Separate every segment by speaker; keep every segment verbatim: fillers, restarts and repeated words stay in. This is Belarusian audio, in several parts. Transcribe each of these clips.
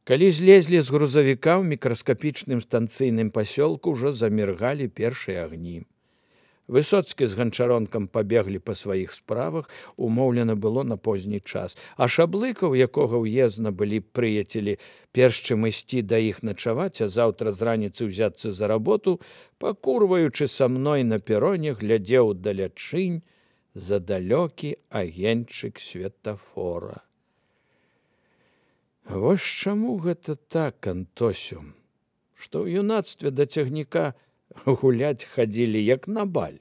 Speaker 1: Калі злезлі з грузавіка ў мікраскапічным станцыйным пасёлку, ўжо заміргалі першыя агні. Высоцкі з ганчаронкам пабеглі па сваіх справах, умоўлена было на позні час, а Шаблыка, у якога ўездна былі прыяцелі, перш чым ісці да іх начаваць, а заўтра з раніцы ўзяцца за работу, пакурваючы са мной на пероне, глядзеў далячынь за далёкі агеньчык светафора. Вось чаму гэта так, Антосю, што ў юнацтве да цягніка гуляць хадзілі, як на баль.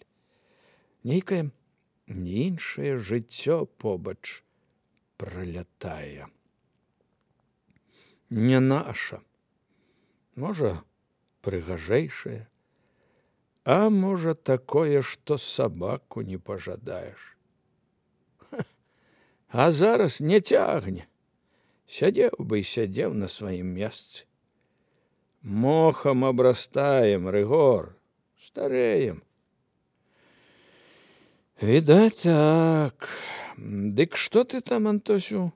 Speaker 1: Нейкае іншае жыццё побач пралятае. Не наша. Можа, прыгажэйшае, а можа, такое, што сабаку не пажадаеш. А зараз не цягне. Сядзеў бы і сядзеў на сваім месцы. Мохам абрастаем, Рыгор, стареем. Відаць так. Дык што ты там, Антосю,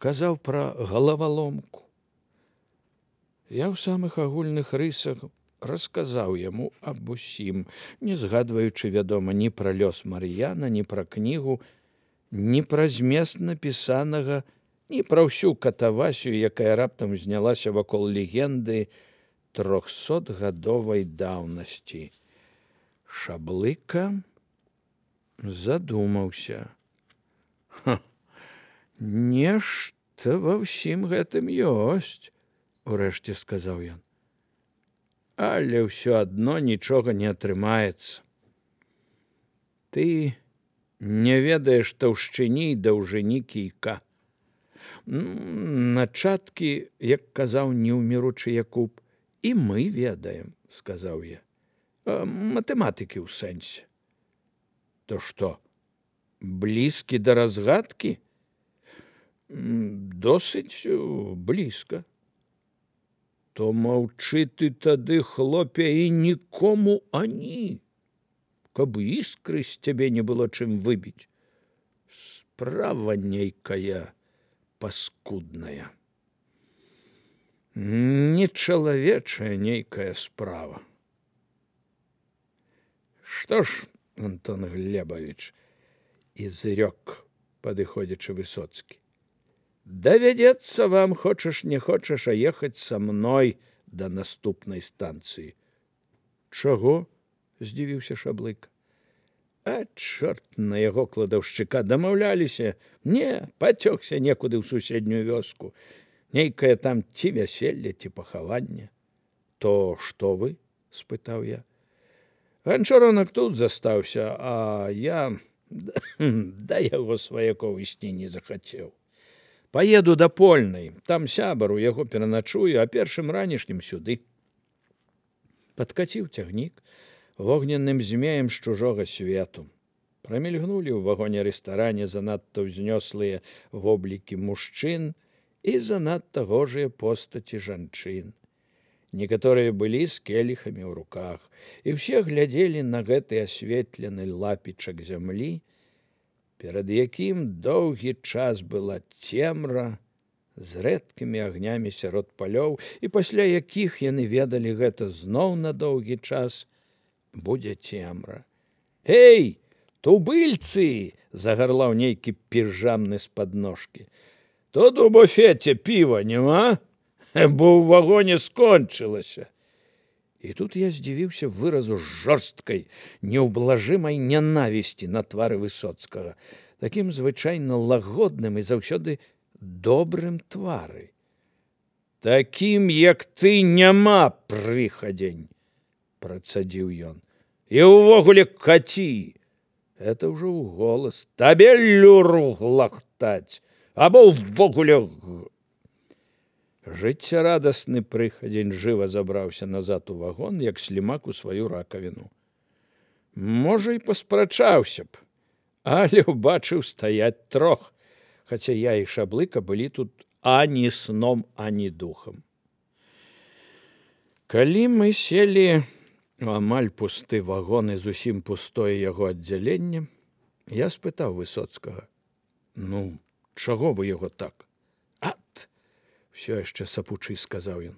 Speaker 1: казаў пра галаваломку? Я ў самых агульных рысах расказаў яму аб усім, не згадваючы, вядома, ні пра лёс Мар'яна, ні пра кнігу, ні пра змест напісанага, ні пра ўсю катавасію, якая раптам знялася вакол легенды трохсотгадовай даўнасці. Шаблыка задумаўся. Ха, нешта ва ўсім гэтым ёсць, урэшце сказаў ён. Але ўсё адно нічога не атрымаецца. Ты не ведаеш таўшчыні і даўжыні кійка. Начаткі, як казаў неўміручы Якуб, і мы ведаем, сказаў я. Матэматыкі ў сэнсе. То што, блізкі да разгадкі? Досыць блізка. То маўчы ты тады, хлопе, і нікому ані, каб іскры з цябе не было чым выбіць. Справа нейкая паскудная. Нечалавечая нейкая справа. Што ж, Антон Глебович, изрёк, падыходзячы Высоцкі, давядзецца вам, хочаш не хочаш, а ехаць са мной да наступнай станцыі. Чаго? Здзівіўся Шаблыка. А чорт на яго кладаўшчыка, дамаўляліся. Не, пацёкся некуды ў суседнюю вёску. Нейкае там ці вяселле, ці пахаванне. То што вы? Спытаў я. Ганчаронак тут застаўся, а я да яго сваякоў ісці не захацеў. Паеду да Польнай, там сябар, у яго пераначую, а першым ранішнім сюды. Падкаціў цягнік вогненным змеем з чужога свету. Прамільгнулі ў вагоне-рэстаране занадта ўзнёслыя воблікі мужчын і занадта гожыя постаці жанчын. Некаторыя былі з келіхамі ў руках, і ўсе глядзелі на гэты асветлены лапічак зямлі, перад якім доўгі час была цемра з рэдкімі агнямі сярод палёў, і пасля якіх яны ведалі гэта зноў на доўгі час будзе цемра. Эй, тубыльцы! Загарлаў нейкі піжамны з-пад ножкі. Тут у буфеце піва няма, бо ў вагоне скончылася. І тут я здзівіўся выразу жорсткай, неўблажымай нянавісці на твары Высоцкага, такім звычайна лагодным і заўсёды добрым твары. Такім, як ты, няма, прыхадзень, працадзіў ён. І ўвогуле каці. Это ўжо ў голас. Табе люру глахтаць, або ўвогуле... Жыццярадасны прыхадзень жыва забраўся назад у вагон, як слімак у сваю ракавіну. Можа, і паспрачаўся б, але ўбачыў стаяць трох, хаця я і Шаблыка былі тут ані сном, ані духам. Калі мы селі у амаль пусты вагон і зусім пустое яго аддзяленне, я спытаў Высоцкага: ну, чаго вы яго так? Ат! Усё яшчэ сапучы, сказаў ён.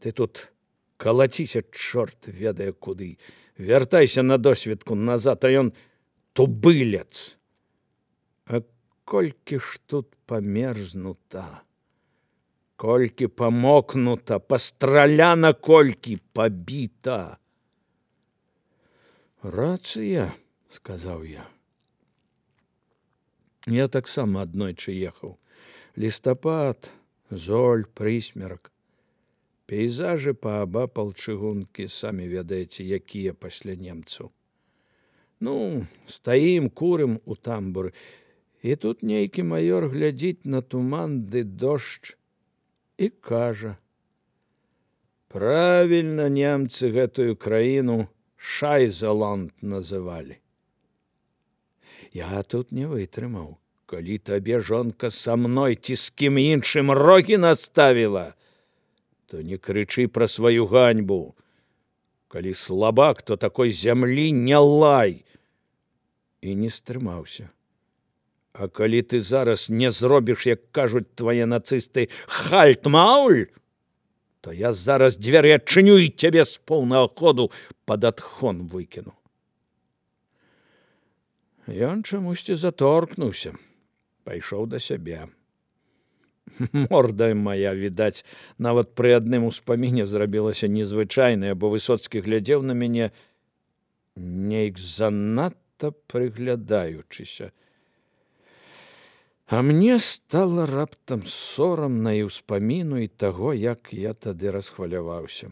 Speaker 1: Ты тут калаціся, чорт ведае куды. Вяртайся на досведку назад, а ён тубылец. А колькі ж тут памерзнута, колькі памокнута, пастраляна колькі, пабіта. Рацыя, сказаў я. Я таксама аднойчы ехаў. Лістапад, золь, прысмерак. Пейзажы паабапал чыгункі, самі ведаеце, якія пасля немцаў. Ну, стаім, курым у тамбуры. І тут нейкі маёр глядзіць на туман ды дождж і кажа: правільна немцы гэтую краіну Шайзеланд называлі. Я тут не вытрымаў. Калі табе жонка са мной ці з кім іншым рогі наставіла, то не крычы пра сваю ганьбу. Калі слабак, то такой зямлі не лай. І не стрымаўся. А калі ты зараз не зробіш, як кажуць твае нацысты, хальт-мауль, то я зараз дзверы адчыню і цябе з поўнага ходу пад адхон выкіну. Ён чамусьці заторкнуўся, пайшоў да сябе. Морда моя, відаць, нават пры адным успаміне зрабілася незвычайная, бо Высоцкі глядзеў на мяне нейк занадта прыглядаючыся. А мне стала раптам сорамна і ўспаміну і таго, як я тады расхваляваўся.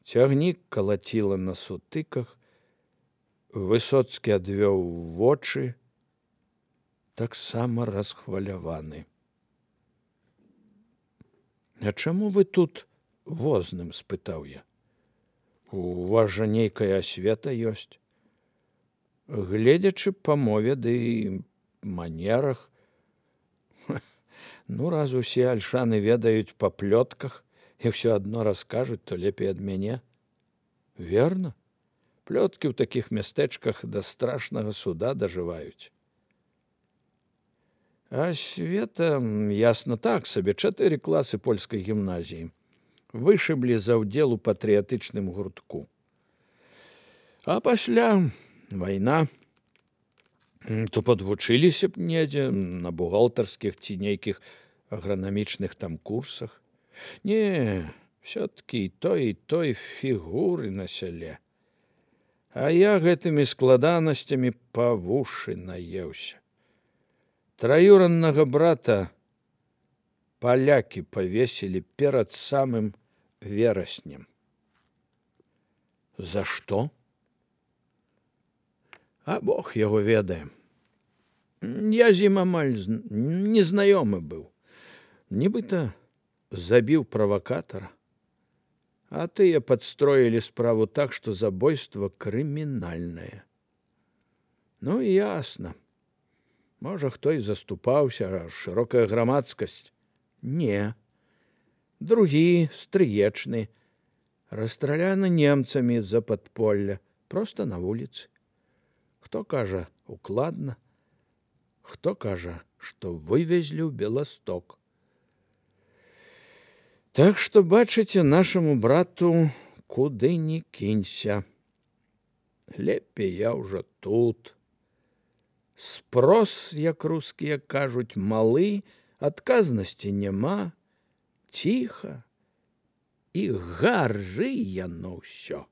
Speaker 1: Цягнік калаціла на сутыках, Высоцкі адвёў вочы, таксама расхваляваны. А чаму вы тут возным, спытаў я. У вас жа нейкая асвета ёсць. Гледзячы па мове ды манерах. Ну, раз усе альшаны ведаюць па плётках і ўсё адно раскажуць, то лепей ад мяне. Верна? Плёткі ў такіх мястэчках да страшнага суда дажываюць. Асвета, ясна, так сабе, чатыры класы польскай гімназіі. Вышыблі за ўдзел у патрыятычным гуртку. А пасля вайна, то падвучыліся б недзе на бухгалтарскіх ці нейкіх агранамічных там курсах. Не, все-таки і той, і той фігуры на сяле. А я гэтымі складанасцямі па вушы наеўся. Траюраннага брата палякі павесілі перад самым вераснем. За што? А Бог яго ведае. Я з ім амаль незнаёмы быў. Нібыта забіў правакатара, а тыя падстроілі справу так, што забойства крымінальнае. Ну, ясна. Можа, хто і заступаўся, а шырокая грамадскасць. Не. Другі, стрыечны, расстраляны немцамі з-за падполля, проста на вуліцы. Хто кажа, укладна, хто кажа, што вывезлі ў Беласток. Так што, бачыце, нашаму брату куды ні кінься. Лепей я ўжо тут. Спрос, як рускія кажуць, малы, адказнасці няма, ціха і гары яно ўсё.